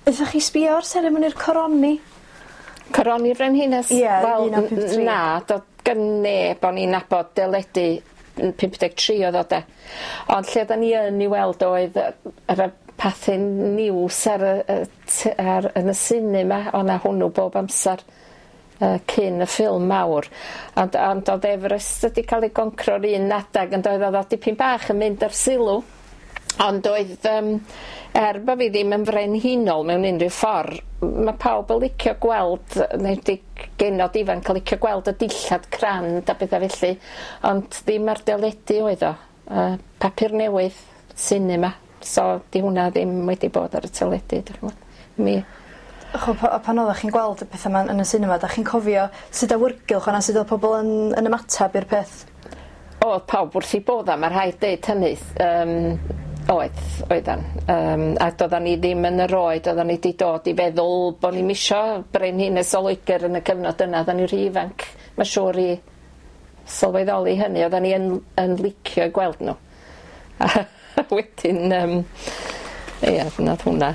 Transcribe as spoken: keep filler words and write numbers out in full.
Aethoch chi sbio ar seremoni'r coroni? Coroni'r Frenhines? Ie, Wel, un naw pump tri. Na, do'dd gan neb o'n i'n nabod deledu yn pump deg tri oedd o de. Ond lle oddan ni yn 'i weld oedd yy yr y pathe news ar y y t- ar yn y cinema o' 'na hwnnw bob amsar yy cyn y ffilm mawr ond ond o'dd Everest wedi ca'l ei goncro'r un adag yn doedd o'dd o dipyn bach yn mynd ar sylw. Ond oedd yym er bo' fi ddim yn frenhinol mewn unrhyw ffor ma' pawb yn licio gweld yy enwedig genod ifanc yn licio gweld y dillad crand a petha felly ond ddim ar deledu oedd o yy papur newydd cinema so 'di hwnna ddim wedi bod ar y teledu 'dych ch'mod. Mi Ch'o' pa- pan oddach chi'n gweld y petha 'ma yn y sinema 'dach chi'n cofio sut awyrgylch o 'na sut o'dd pobol yn yn ymatab i'r peth? O'dd pawb wrth 'u bodda ma' rhaid deud hynny yym oedd oeddan yym a do'ddan ni ddim yn yr oed oddan ni 'di dod i feddwl bo' ni'm isio brenhines o Loegyr yn y cyfnod yna oddan ni rhy ifanc ma' siŵr i sylweddoli hynny oddan ni yn yn licio 'u gweld n'w. A wedyn yym ia nath hwnna